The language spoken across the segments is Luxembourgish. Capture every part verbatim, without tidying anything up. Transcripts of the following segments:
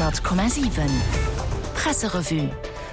Honnert Komma siwen Presserevue.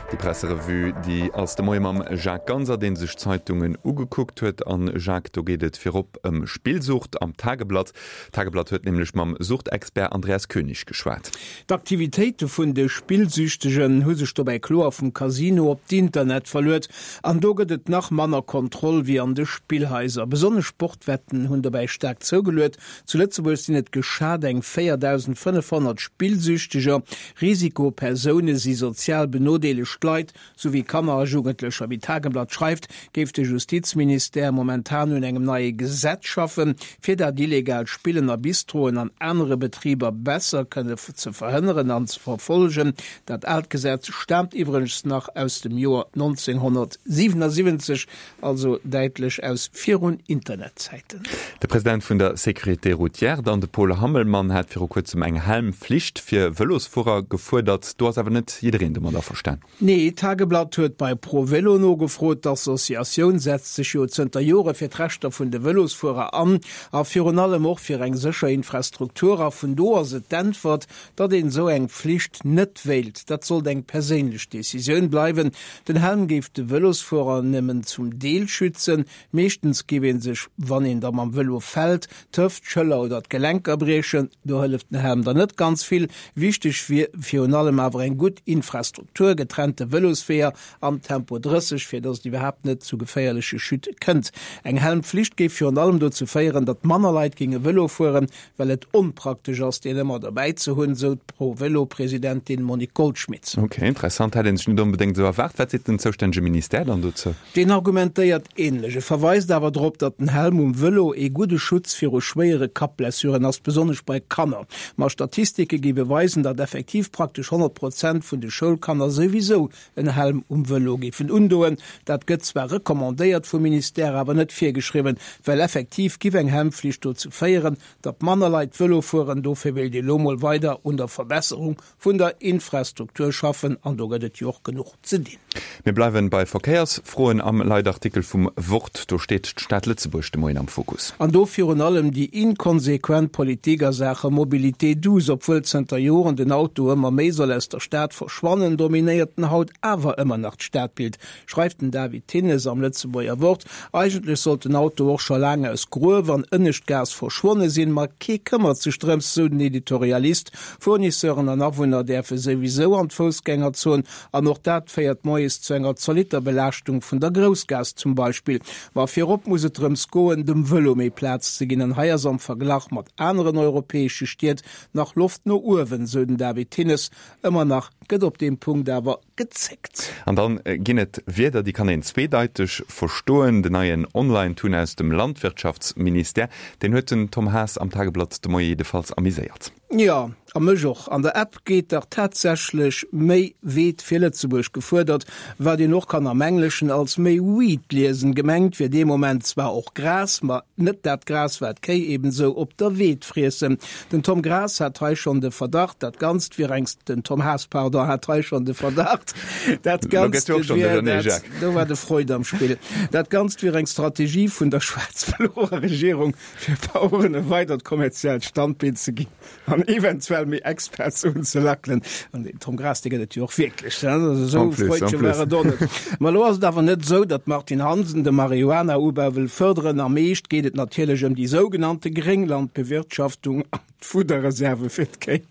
Déi Presserevue, déi ass de Moie mam Jacques Ganser, dee sech d'Zeitungen ugekuckt huet. An Jacques, do geet et virop ëm Spillsucht am Tageblatt. D'Tageblatt huet nämlech mam Suchtexpert Andreas König geschwat. D'Aktivitéite vun de Spillsüchtegen hu sech dobäi kloer vum Casino op d'Internet verluet. An do gëtt et nach manner Kontroll wéi an de Spillhaiser. Besonnesch Sportwetten hunn dobäi staark zougeluet. Zu Lëtzebuerg sinn et geschat eng véierdausendfënnefhonnert Spillsüchteger. Risikopersoune si sozial benodeelegt Leit, souwéi Kanner a Jugendlecher. Wéi d'Tageblatt schreift, géif de Justizministère momentan un engem neie Gesetz schaffen, fir dat illegaalt Spillen a Bistroen an anere Betriber besser kënne ze verhënneren an ze verfollegen. Dat aalt Gesetz staamt iwwregens nach aus dem Joer neunzehnhundertsiewenundsiebzeg, also däitlech aus virun Internetzäiten. De President vun der Sécurité routière dann, de Paul Hammelmann, hat viru kuerzem eng Helmflicht fir Vëlosfuerer gefuerdert. Do ass awer net jiddereen domat averstan. Nee, d'Tageblatt huet bei Pro Vélo nogefrot. D'Associatioun setzt sech jo zënter Jore fir d'Rechter vun de Vëlosfuerer an a virun allem och fir eng sécher Infrastruktur. A vun do ass et d'Äntwert, datt een esou eng Flicht net wéilt. Dat sollt eng perséinlech Decisioun bleiwen. Den Helm géif de Vëlosfuerer nëmmen zum Deel schützen. Meeschtens géif ee sech, wann een da mam Vëlo fält, d'Hëft, d'Schëller oder d'Gelenker briechen. Do hëlleft den Helm dann net ganz vill. Wichteg wier virun allem awer eng gutt Infrastruktur, getrennte Vëlosweeër an Tempo drësseg, fir datt et iwwerhaapt net zu geféierleche Chute kënnt. Eng Helmflicht géif virun allem dozou féieren, datt manner Leit géinge Vëlo fueren, well et onpraktesch ass, deen ëmmer derbäi ze hunn, sou d'Pro-Vélo-Presidentin Monique Goldschmit. Ok, interessant, hätt een sech net onbedéngt esou erwaart. Wat seet den zoustännege Ministère dann dozou? Deen argumentéiert änlech. E verweist awer drop, datt den Helm um Vëlo ee gudde Schutz viru schwéiere Kappblessuren ass, besonnesch bei Kanner. Ma Statistike géiwe weisen, datt effektiv praktesch honnert Prozent vun de Schoulkanner souwisou en Helm um Vëlo géifen undoen. Dat gëtt zwar recommandéiert vum Ministère, awer net virgeschriwwen, well effektiv giff eng Helmflicht dozou féieren, datt manner Leit Vëlo fueren. Dofir wéilt ee lo mol weider un der Verbesserung vun der Infrastruktur schaffen, an do gëtt et jo och genuch ze dinn. Mir bleiwen bei Verkéiersfroen am Leitartikel vum Wort. Do steet d'Stad Lëtzebuerg de Moien am Fokus. An do virun allem déi inkonsequent Politik a Saache Mobilité douce. Obwuel zënter Joren den Auto ëmmer méi soll aus der Stad verschwannen, dominéiert en haut awer ëmmer nach d'Stadbild, schreift den David Thinnes am Lëtzebuerger Wort. Eigentlech sollt den Auto och scho laang aus Gruef an Ënneschtgaass verschwonne sinn, ma kee këmmert sech drëms, sou den Editorialist. Fournisseuren an Awunner däerfe souwisou an d'Foussgängerzon an och dat féiert moies zu enger zolitter Belaaschtung vun der Groussgaass zum Beispill. Ma virop muss et drëms goen, dem Vëlo méi Plaz ze ginn an hei ass am Verglach mat aneren europäesche Stied nach Loft no uewen, sou den David Thinnes. Ëmmer nach gëtt op deem Punkt awer gezéckt. An dann ginn et Wierder, déi kann een zweedeiteg verstoen. Den neien Online-Tun aus dem Landwirtschaftsministère, deen huet den Tom Haas am Tageblatt de Moie jiddefalls amiséiert. Jo, a mech och. An der App gétt dach tatsächlech méi Weed fir Lëtzebuerg gefuerdert, wat een och kann am Engleschen als méi Weed liesen. Gemengt wier dee Moment zwar och Gras, ma net dat Gras, wat d'Kéi eben sou op der Weed friessen. Den Tom Gras hat hei schonn de Verdacht, dat Ganzt wier eng, den Tom Haas, pardon, hat hei schonn de Verdacht, dat Ganzt wier dat, do war de Freud am Spill, dat Ganzt wier eng Strategie vun der schwaarz-bloer Regierung, fir Baueren e weidert kommerziellt Standbeen ze ginn an eventuell méi Expats unzelackelen. An den Tom Graas, dee gëtt et jo och wierklech, ne? Also esou En plus, en Freudche plus. war et och net. Ma elo ass et awer net esou, datt d'Martine Hansen de Marihuana-Ubau wëll fërderen. Am Eescht geet et natierlech ëm déi sougenannte Grénglandbewirtschaftung an d'Fudderreserve fir d'Kéi.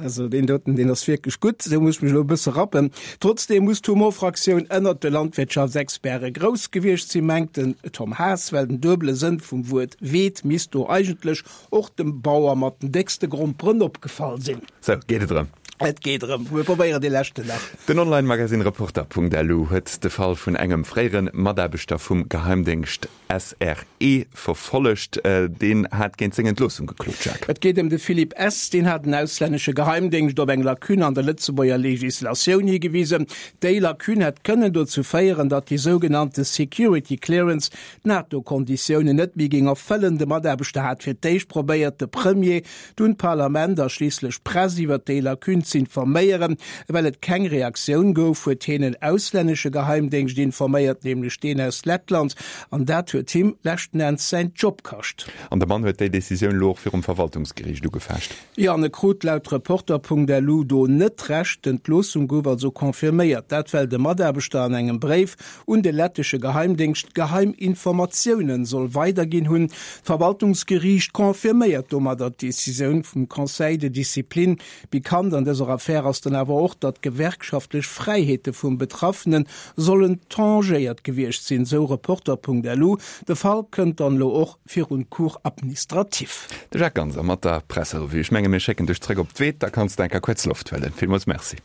Also deen doten, deen ass wierklech gutt. Do muss ech mech elo e bësse rappen. Trotzdeem muss d'Humorfraktioun ënnert de Landwirtschaftsexperte grouss gewiescht sinn, mengt den Tom Haas, well den duebele Sënn vum Wuert Weed misst do eigentlech och dem Bauer mat den déckste Gromperen opgefall sinn. Sou, geet et erëm? Et geet erëm. Mir probéieren dee leschten nach. Den Online-Magasinn Reporter.lu huet de Fall vun engem fréiere Mataarbechter vum Geheimdéngscht S R E verfollegt. Deen hat géint seng Entloossung geklot, Jacques. Et geet ëm de Philippe S. Deen hat den auslännesche Geheimdéngscht op eng Lacune an der Lëtzebuerger Legislatioun higewisen. Déi Lacune hätt kënnen dozou féieren, datt déi sougenannte Security Clearance d'NATO-Konditiounen net méi géing erfëllen. De Mataarbechter hat fir d'éischt probéiert, de Premier, dunn d'Parlament a schliisslech d'Press iwwer déi Lacune z'informéieren. Well et keng Reaktioun gouf, huet hien en auslännesche Geheimdéngscht informéiert, nämlech deen aus Lettland. An dat huet him leschten Enns säin Job kascht. An de Mann huet déi Decisioun elo och virum Verwaltungsgeriicht ugefecht. Jo, an e krut laut Reporter.lu do net Recht. D'Entloossung gouf also confirméiert. Dat well de Mataarbechter an engem Bréif un de lettesche Geheimdéngscht geheim Informatiounen soll weiderginn hunn. D'Verwaltungsgeriicht confirméiert domadder d'Decisioun vum Conseil de discipline. Pikant an dëser Affär ass dann awer och, datt d'gewerkschaftlech Fräiheete vum Betraffene sollen tangéiert gewiescht sinn, sou Reporter.lu. De Fall kënnt dann elo och virun d'Cour administrative. De Jacques Ganser mat der Presserevue. Ech menge mir schécken dech zréck op d'Weed, da kanns de eng Kéier kuerz Loft huelen. Villmools Merci.